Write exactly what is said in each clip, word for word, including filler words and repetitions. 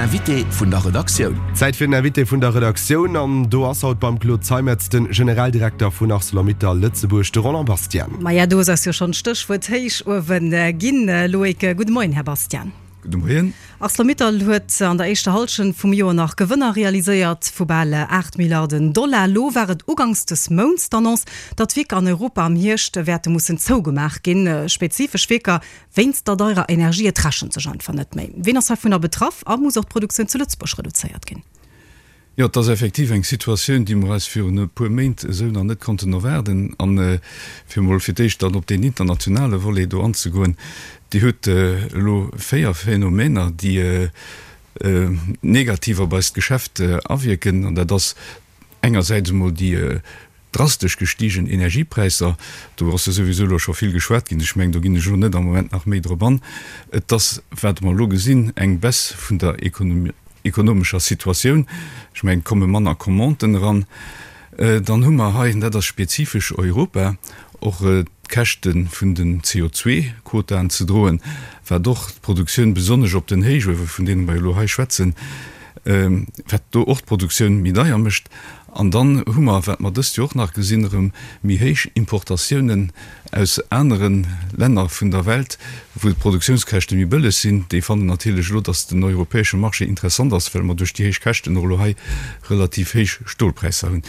Invité vun der Redaktioun. Zäit fir den Invité vun der Redaktioun an do ass haut beim Claude Zeimetz de Generaldirekter vun Arcelor-Mittal Lëtzebuerg, de Roland Bastian. Maja, do ass jo schonn d'Stéchwuert Héichuewen ginn, Loïc. Gudde Moien, Här Bastian. Gudde Moien. Arcelor-Mittal huet an der éischter Hallschent vum Joer nach Gewënner realiséiert vu bal aacht Milliarden Dollar. Elo war et uganks des Mounts d'Annonce, datt Wierker an Europa am Hierscht wäerte mussen zougemaach ginn. Spezifesch Wierker wéinst der deirer Energie. Et rechent sech einfach net méi. Wien ass heivunner betraff a muss och d'Produktioun zu Lëtzebuerg reduzéiert ginn? Jo, et ass effektiv eng Situatioun, déi mer eis virun e puer Méint esou nach net konnten erwaarden. An fir emol fir d'éischt dann op deen internationale Volet do anzegoen, Dir hutt elo véier Phänomener, déi negativ op eist Geschäft awierken. An dat ass engersäits emol déi Drastesch gestigen Energiepräisser, do ass jo souwisou elo scho vill geschwat ginn, ech mengen, do ginn ech elo net am Moment nach méi drop an. Et ass, wat mer elo gesinn, eng Baisse vun der ekonomescher Situatioun, ech mengen, et komme manner Commanden eran. Dann hu mer hei, an dat ass spezifesch Europa, och d'Käschte vun den C O zwei Quotaen ze droen, wat och d'Produktioun, besonnesch op den Héichuewe vun deene mer elo hei schwätzen, wat do och d'Produktioun méi deier mécht. An dann hu mer, wat mer dëst Joer och nach gesinn, erëm méi héich Importatiounen aus anere Länner vun der Welt, wou d'Produktiounskäschte méi bëlleg sinn. Déi fannen natierlech elo, datt den europäesche Marché interessant ass, well mer duerch déi héich Käschten och elo hei relativ héich Stolpräisser hunn.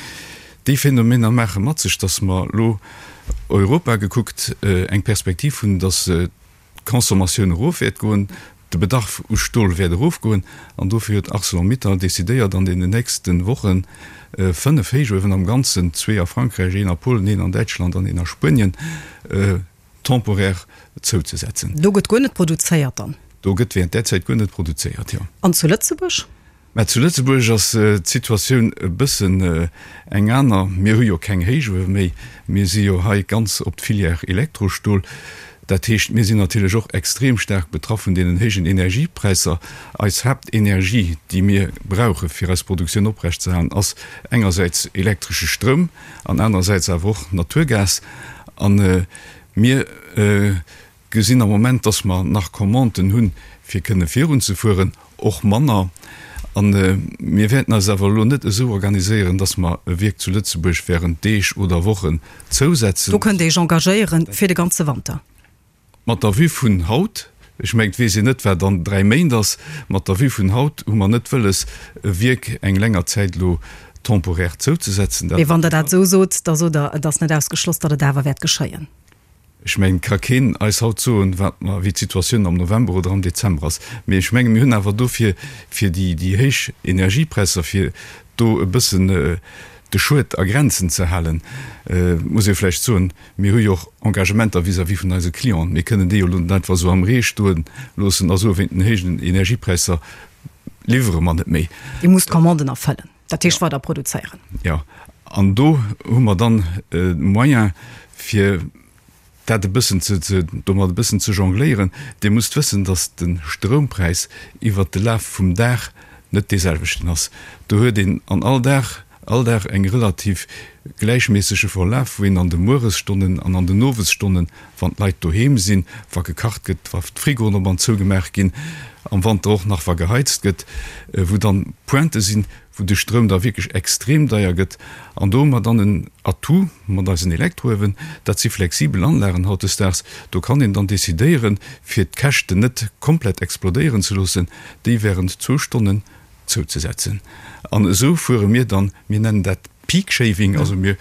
Déi Phänomener maache mat sech, datt mer elo, Europa gekuckt, eng Perspektiv hunn, datt d'Consommatioun erof wäert goen, de Bedarf u Stol wäert erofgoen an dofir huet Arcelor-Mittal decidéiert an deenen nächste Woche fënnef Héichuewen am Ganzen, zwee a Frankräich, een a Polen, een an Däitschland an een a Spuenien, temporaire zouzesetzen. Do gëtt guer net produzéiert dann? Do gëtt während där Zäit guer net produzéiert, jo. An zu Lëtzebuerg? Mä zu Lëtzebuerg ass d'Situatioun e bëssen eng aner. Mir hu jo keng Héichuewe méi. Mir si jo hei ganz op d'Filière Elektrostol. Dat heescht, mir sinn natierlech och extrem staark betraff vun deenen héijen Energiepräisser. Eis Haaptenergie, déi mir brauche fir eis Produktioun oprechtzehalen, ass engersäits elektresche Stroum an anerersäits awer och Naturgas. A mir gesinn am Moment, dass mer nach Commanden hunn, fir kënne virunzefueren, och manner. A mir wäerten eis awer elo net esou organiséieren, dass mer e Wierk zu Lëtzebuerg während Deeg oder Wochen zousetzen. Do kënnt Dir Iech engagéieren fir de ganze Wanter? Mat der Vue vun haut, ech mengen, et weess een net, wat an dräi Méint ass, mat der Vue vun haut hu mer net wëlles, e Wierk eng länger Zäit elo temporaire zouzesetzen. Mee wann Der dat esou sot, da sot Der, et ass net ausgeschloss, datt et awer wäert geschéien. Ech mengen, et ka keen eis haut soen, wat mer, wéi d'Situatioun am November oder am Dezember ass. Mee ech menge mir hunn awer dofir, fir déi, déi héich Energiepräisser, fir do e bëssen de Schued a Grenzen ze halen, muss ee vläicht soen, mir hu jo och Engagementer vis-à-vis vun eise Clienten. Mir kënnen déi jo elo net einfach esou am Ree stoe loossen a soen, wéint den héijen Energiepräisser liwwere mer net méi. Dir musst d'Commanden erfëllen, dat heescht weider produzéieren. Jo, an do hu mer dann de Moyen, fir dat e bëssen ze, ze, domat e bëssen ze jongléieren. Dir musst wëssen, datt de Stroumpräis iwwert de Laf vum Dag net deeselwechten ass. Do huet een an all Dag, all Dag eng relativ gläichméissege Verlaf, wou een an de Mueresstonnen an an den Owesstonnen, wann d'Leit doheem sinn, wa gekacht gëtt, wa d'Frigoen op an zou gemaach ginn, am Wanter och nach wa geheizt gëtt, wou dann Pointë sinn, wou de Stroum da wierklech extrem deier gëtt. An do hu mer dann en Atout mat eisen Elektrouewen, dat si flexibel Anlagen hautdesdaags, do kann een dann decidéieren, fir d'Käschten net komplett explodéieren ze loossen, déi während zwou Stonnen zouzesetzen. An esou fuere mir dann, mir nennen dat Peak Shaving, also mir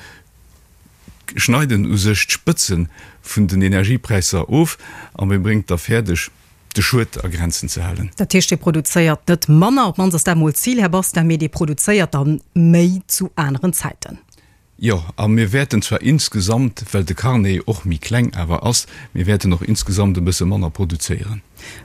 schneiden u sech d'Spëtze vun den Energiepräisser of a mir bréngt da fäerdeg, de Schued a Grenzen ze halen. Dat heescht, Dir produzéiert net manner, op d'mannst ass dat emol d'Zil, Här Bastin, mee Dir produzéiert da méi zu aneren Zäiten. Jo, a mir wäerten zwar insgesamt, well de Carnet och méi kleng awer ass, mir wäerten och insgesamt e bësse manner produzéieren.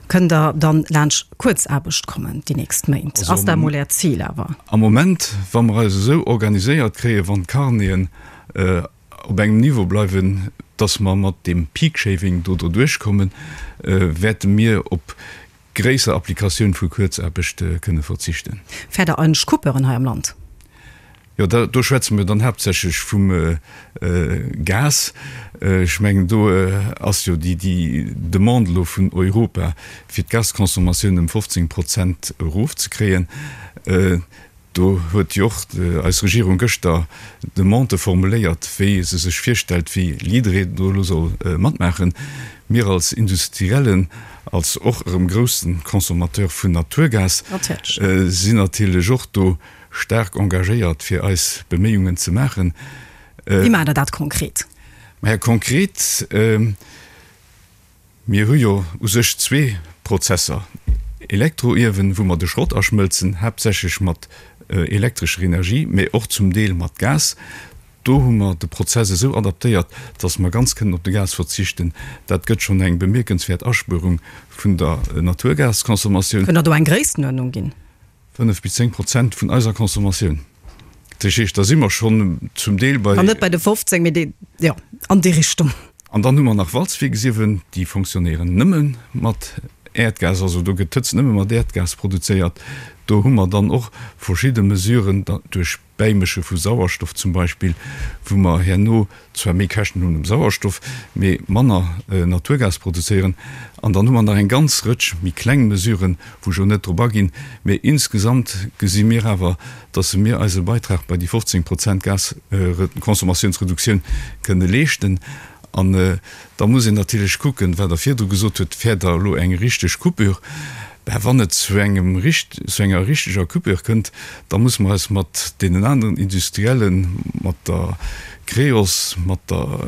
Kënnt Der dann laanscht Kuerzaarbecht kommen déi nächst Méint? Ass dat emol Äert Zil awer? Am Moment, wa mer eis esou organiséiert kréien, wann d'Carneten op engem Niveau bleiwen, dass mer mat deem Peak Shaving do doduerchkommen, wäerte mir op gréisser Applikatioun vu Kuerzaarbecht kënne verzichten. Fäert Der eigentlech Coupeuren hei am Land? Jo, do schwätze mir dann haaptsächlech vum Gas. Ech mengen, do ass jo déi Demande elo vun Europa, fir d'Gasconsommatioun ëm fofzéng Prozent erofzekréien. Do huet jo och eis Regierung gëschter Demandë formuléiert, wéi se sech virstellt, wéi jidderee do elo soll matmaachen. Mir als Industriellen, als och erëm grousse Consommateur vun Naturgas, sinn natierlech och do staark engagéiert, fir eis Beméiungen ze maachen. Wéi maacht Der dat konkret? Maja, konkret, mir hu jo u sech zwee Prozesser, Elektroiewen, wou mer de Schrott aschmëlzen, haaptsächlech mat elektrescher Energie, mä och zum Deel mat Gas. Do hu mer de Prozess esou adaptéiert, dass mer ganz kënnen op de Gas verzichten. Dat gëtt schonn eng bemierkenswäert Aspuerung vun der Naturgasconsommatioun. Kënnt Der do eng Gréisstenuerdnung ginn? Fënnef bis zéng Prozent vun eiser Consommatioun. Dat heescht, da si mer schonn zum Deel bei. Dann net bei de fofzéng, mee déi, jo, an déi Richtung. An dann hu mer nach Walzwierksiewen, déi fonctionnéieren nëmme mat Äerdgas, also do gëtt d'Hëtzt nëmme mat Äerdgas produzéiert. Do hu mer dann och verschidde Mesuren, duerch Bäimësche vu Sauerstoff zum Beispill, wou mer herno zwar méi Käschten hunn um Sauerstoff, mee manner Naturgas produzéieren. An dann hu mer nach eng ganz Rëtsch méi kleng Mesuren, wou ech elo net drop aginn. Mee insgesamt gesi mir awer, dass mir eise Beitrag bei déi fofzéng Prozent Gasconsommatiounsreduktioun kënne leeschten. An da muss een natierlech kucken, wat Der virdru gesot hutt, Fäert Der elo eng richteg Coupure? Ben, wann et zu engem, zu enger richteger Coupure kënnt, da musse mer eis mat deenen aneren Industriellen, mat der Creos, mat der,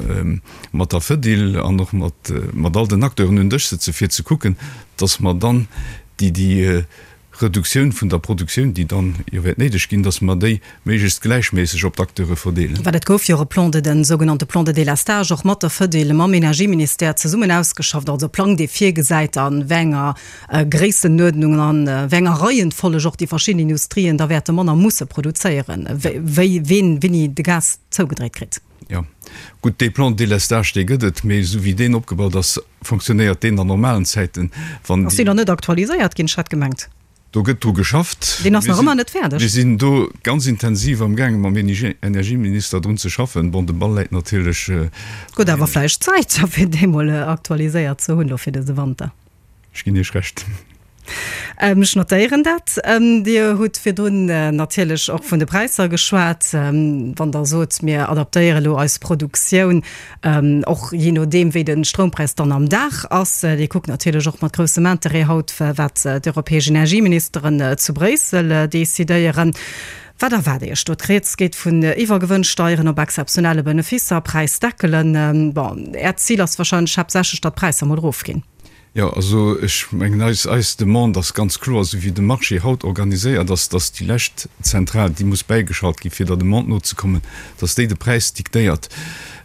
mat der Fedil an och mat, mat all den Acteuren un den Dësch sëtzen, fir ze kucken, dass mer dann déi, déi Reduktioun vun der Produktioun, déi dann jo wäert néideg ginn, dass mer déi méiglechst gläichméisseg op d'Acteure verdeelen. Well et gouf jo och e Plan de, den sougenannte Plan de délestage, och mat der Fedil, mam Energieministère zesummen ausgeschafft, also e Plang, dee virgesäit, a wéi enger Gréissenuerdnung an a wéi enger Reihenfolleg och déi verschidden Industrien da wäerte manner musse produzéieren, wéi, ween wéini de Gas zougedréit kritt. Jo, gutt, dee Plan de délestage, dee gëtt et, mee esou wéi deen opgebaut ass, fonctionnéiert deen an normalen Zäiten. Wann Ass deen nach net aktualiséiert ginn? Ech hat gemengt. Do gëtt dru geschafft. Deen ass nach ëmmer net fäerdeg. Mir sinn do ganz intensiv amgaangen, mam Energieminister drun ze schaffen. Bon, de Ball läit natierlech. Gëtt awer vläicht Zäit, fir dee mol aktualiséiert ze hunn elo fir dëse Wanter. Ech ginn Iech Recht. Ech notéieren dat. Dir hutt virdrun natierlech och vun de Präisser geschwat. Wann Der sot, mir adaptéiere elo eis Produktioun och jee nodeem, wéi de Stroumpräis dann am Dag ass. Dir kuckt natierlech och mat groussem Interêt haut, wat d'europäesch Energieministeren zu Bréissel decidéieren. Wat erwaart Iech do? D'Rieds geet vun Iwwergewënnsteieren op exzeptionelle Benefisser, Präisdeckelen. Bon, Äert Zil ass wahrscheinlech haaptsächlech, datt d'Präisser mol erofginn. Jo, also ech mengen, eis, eis Demande ass ganz kloer, esou wéi de Marché haut organiséiert ass, dass déi lescht Zentral, déi muss bäigeschalt gi fir der Demande nozekommen, dass déi de Präis diktéiert.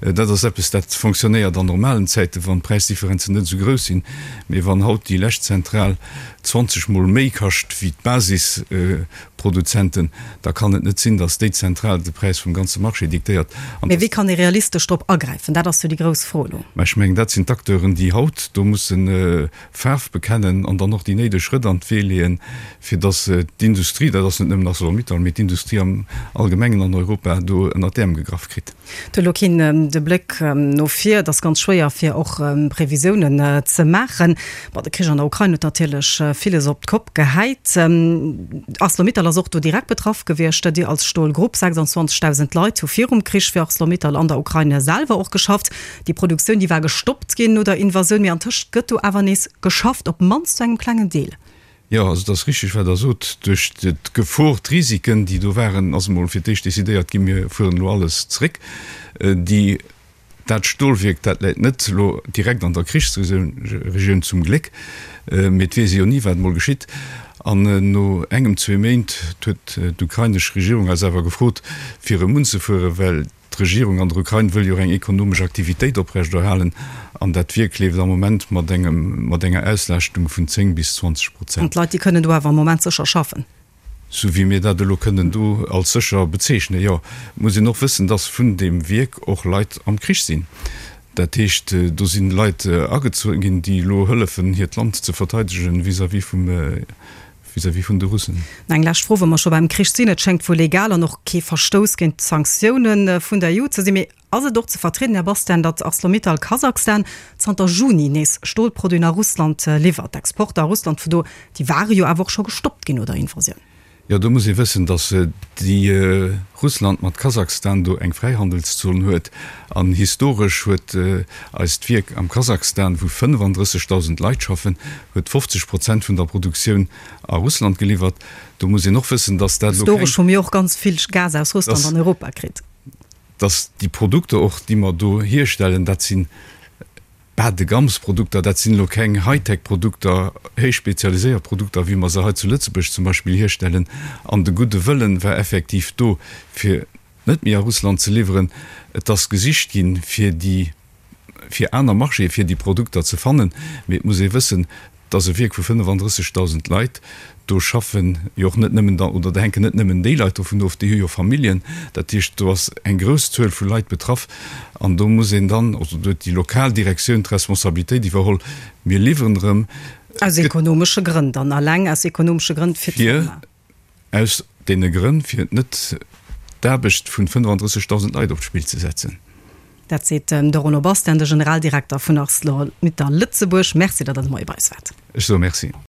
Dat ass eppes, dat fonctionnéiert an normalen Zäiten, wann d'Präisdifferenzen net esou grouss sinn. Mee wann haut déi lescht Zentral zwanzeg Mol méi kascht wéi d'Basisproduzenten, da kann et net sinn, dass déi Zentral de Präis vum ganze Marché diktéiert. An Mee wéi kann ee realistesch drop agräifen? Dat ass jo déi grouss Fro elo. Mä ech mengen, dat sinn d'Acteuren, déi haut do mussen Faarf bekennen an dann och déi néideg Schrëtt an d'Wee leeën, fir dass d'Industrie, dat ass net nëmmen Arcelor-Mittal, mee d'Industrie am Allgemengen an Europa do ënnert d'Äerm gegraff kritt. Et huet elo keen de Bléck no vir. Et ass ganz schwéier, fir och Previsiounen ze maachen. Bon, de Krich an der Ukrain huet natierlech villes op d'Kopp gehäit. Arcelor-Mittal ass och do direkt betraff gewiescht. Dir als Stolgrupp, sechsundzwanzigtausend Leit hu virum Krich fir Arcelor-Mittal an der Ukrain selwer och geschafft. Déi Produktioun, déi war gestoppt ginn no der Invasioun, mee antëscht gëtt do awer nees geschafft, op d'mannst zu engem klengen Deel. Jo, also et ass richtig, wat Der sot. Duerch d'Gefor, d'Risiken, déi do waren, ass emol fir d'éischt decidéiert ginn, mir fueren elo alles zréck. Déi, dat Stolwierk, dat läit net elo direkt an der Krichsregioun, zum Gléck, mee et weess ee jo ni, wat emol geschitt. An no engem, zwee Méint huet d'ukrainesch Regierung eis awer gefrot, fir erëm unzefueren, well D'Regierung an der Ukrain wëll jo och eng ekonomesch Aktivitéit oprechterhalen an dat Wierk leeft am Moment mat engem mat enger Auslaaschtung vun zéng bis zwanzeg An Prozent. d'Leit, déi kënnen do awer am Moment sécher schaffen? Sou wéi mir dat elo kënnen do als sécher bezeechnen, jo. Et muss een och wëssen, dass vun deem Wierk och Leit am Krich sinn. Dat heescht, do si Leit agezu ginn, déi elo hëllefen, hiert Land ze verteidegen vis-à-vis vum vis-à-vis vun de Russen. Eng lescht Fro, wa mer scho beim Krich sinn, Et schéngt wuel legal an och kee Verstouss géint d'Sanktioune vun der E U ze sinn, mee ass et och ze vertrieden, Här Bastian, datt Arcelor-Mittal Kasachstan zanter Juni nees Stolproduiten a Russland liwwert? D'Exporter a Russland vu do, déi ware jo awer och scho gestoppt ginn no der Invasioun. Jo, do muss ee wëssen, datt déi Russland mat Kasachstan do eng Fräihandelszon huet. An historesch huet eist Wierk am Kasachstan, wou fënnefandrëssegdausend Leit schaffen, huet fofzeg Prozent vun der Produktioun a Russland geliwwert. Do muss een och wëssen, datt dat elo keng. Historesch hu mir och ganz vill Gas aus Russland an Europa kritt. Datt déi Produkter och, déi mer do hierstellen, dat sinn Bas-de-gamme-Produkter, dat sinn elo keng High-Tech-Produkter, héich spezialiséiert Produkter, wéi mer se hei zu Lëtzebuerg zum Beispill hierstellen. An de gudde Wëllen war effektiv do, fir net méi a Russland ze liwweren. Et ass gesicht ginn, fir déi, fir aner Marchéë fir déi Produkter ze fannen. Mee et muss ee wëssen, Et ass e Wierk vu fënnefandrëssegdausend Leit. Do schaffen jo och net nëmmen oder do hänken net nëmmen déi Leit dovun of, déi hu jo Familljen. Dat heescht, do ass eng grouss Zuel vu Leit betraff. An do muss een dann, also do huet déi lokal Direktioun d'Responsabilitéit iwwerholl, mir liwweren erëm. Aus ekonomesche Grënn dann, alleng aus ekonomesche Grënn fir d'Firma? Aus deene Grënn, fir net d'Aarbecht vu fënnefandrëssegdausend Leit op d'Spill ze setzen. Dat seet de Renaud Bastian, de Generaldirekter vun Arcelor-Mittal Lëtzebuerg. Merci, datt Der de Moie bei eis waart. Ech soe Merci.